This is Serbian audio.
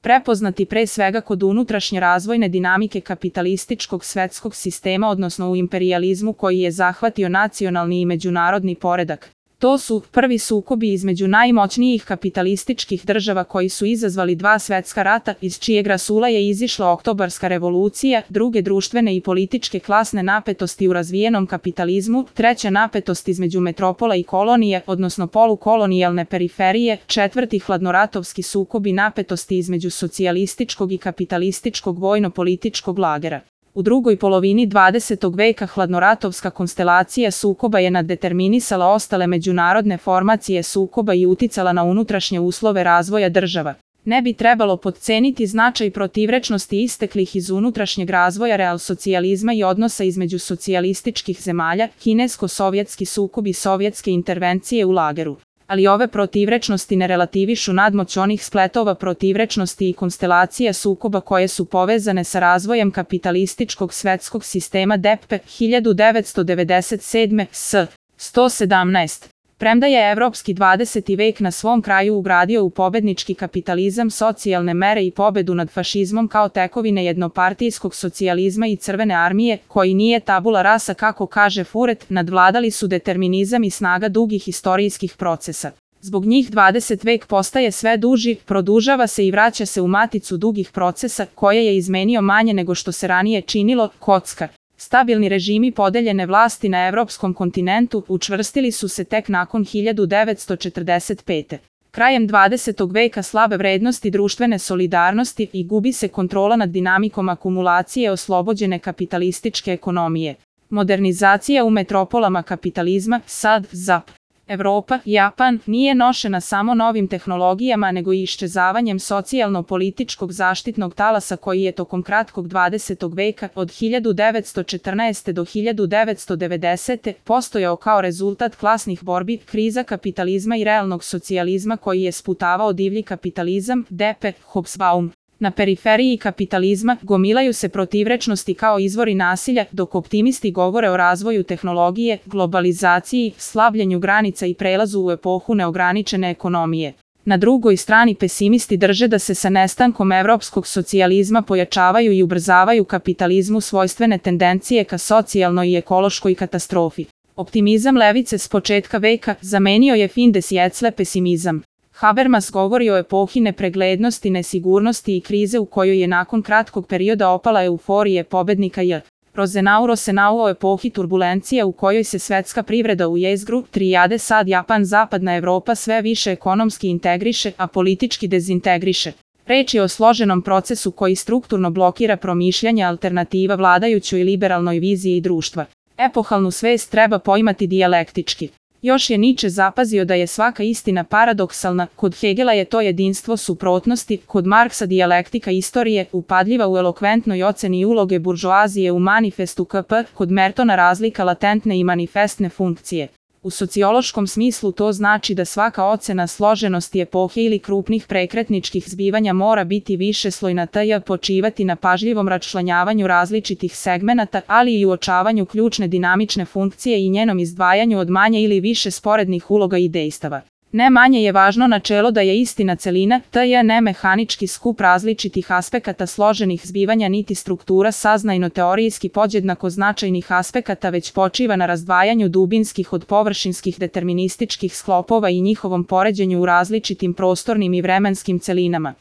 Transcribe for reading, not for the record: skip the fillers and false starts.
prepoznati pre svega kod unutrašnje razvojne dinamike kapitalističkog svetskog sistema, odnosno u imperijalizmu koji je zahvatio nacionalni i međunarodni poredak. To su prvi sukobi između najmoćnijih kapitalističkih država koji su izazvali dva svetska rata, iz čijeg rasula je izišla Oktobarska revolucija, druge društvene i političke klasne napetosti u razvijenom kapitalizmu, treća napetost između metropola i kolonije, odnosno polukolonijalne periferije, četvrti hladnoratovski sukobi napetosti između socijalističkog i kapitalističkog vojno-političkog lagera. U drugoj polovini 20. veka hladnoratovska konstelacija sukoba je naddeterminisala ostale međunarodne formacije sukoba i uticala na unutrašnje uslove razvoja država. Ne bi trebalo potceniti značaj protivrečnosti isteklih iz unutrašnjeg razvoja realsocijalizma i odnosa između socijalističkih zemalja, kinesko-sovjetski sukob i sovjetske intervencije u lageru. Ali ove protivrečnosti ne relativišu nadmoć onih spletova protivrečnosti i konstelacija sukoba koje su povezane sa razvojem kapitalističkog svetskog sistema DEPE 1997. s. 117. Premda je evropski 20. vek na svom kraju ugradio u pobednički kapitalizam socijalne mere i pobedu nad fašizmom kao tekovine jednopartijskog socijalizma i crvene armije, koji nije tabula rasa kako kaže Furet, nadvladali su determinizam i snaga dugih istorijskih procesa. Zbog njih 20. vek postaje sve duži, produžava se i vraća se u maticu dugih procesa, koje je izmenio manje nego što se ranije činilo, kocka. Stabilni režimi podeljene vlasti na evropskom kontinentu učvrstili su se tek nakon 1945. Krajem 20. veka slabe vrednosti društvene solidarnosti i gubi se kontrola nad dinamikom akumulacije oslobođene kapitalističke ekonomije. Modernizacija u metropolama kapitalizma, SAD, ZAP. Evropa, Japan, nije nošena samo novim tehnologijama nego i iščezavanjem socijalno-političkog zaštitnog talasa koji je tokom kratkog 20. veka od 1914. do 1990. postojao kao rezultat klasnih borbi, kriza kapitalizma i realnog socijalizma koji je sputavao divlji kapitalizam, DEPE, Hobsbawm. Na periferiji kapitalizma gomilaju se protivrečnosti kao izvori nasilja, dok optimisti govore o razvoju tehnologije, globalizaciji, slabljenju granica i prelazu u epohu neograničene ekonomije. Na drugoj strani pesimisti drže da se sa nestankom evropskog socijalizma pojačavaju i ubrzavaju kapitalizmu svojstvene tendencije ka socijalnoj i ekološkoj katastrofi. Optimizam levice s početka veka zamenio je fin des siecle pesimizam. Habermas govori o epohi nepreglednosti, nesigurnosti i krize u kojoj je nakon kratkog perioda opala euforije pobednika J. Rosenau o epohi turbulencija u kojoj se svetska privreda u jezgru, trijade SAD, Japan, Zapadna Evropa sve više ekonomski integriše, a politički dezintegriše. Reč je o složenom procesu koji strukturno blokira promišljanje alternativa vladajućoj liberalnoj viziji društva. Epohalnu svest treba poimati dijalektički. Još je Nietzsche zapazio da je svaka istina paradoksalna, kod Hegela je to jedinstvo suprotnosti, kod Marksa dijalektika istorije, upadljiva u elokventnoj oceni uloge buržoazije u manifestu KP, kod Mertona razlika latentne i manifestne funkcije. U sociološkom smislu to znači da svaka ocena složenosti epohe ili krupnih prekretničkih zbivanja mora biti višeslojna t.j. počivati na pažljivom raščlanjavanju različitih segmenata, ali i uočavanju ključne dinamične funkcije i njenom izdvajanju od manje ili više sporednih uloga i dejstava. Ne manje je važno načelo da je istina celina, t.j. ne mehanički skup različitih aspekata složenih zbivanja niti struktura saznajno-teorijski podjednako značajnih aspekata, već počiva na razdvajanju dubinskih od površinskih determinističkih sklopova i njihovom poređenju u različitim prostornim i vremenskim celinama.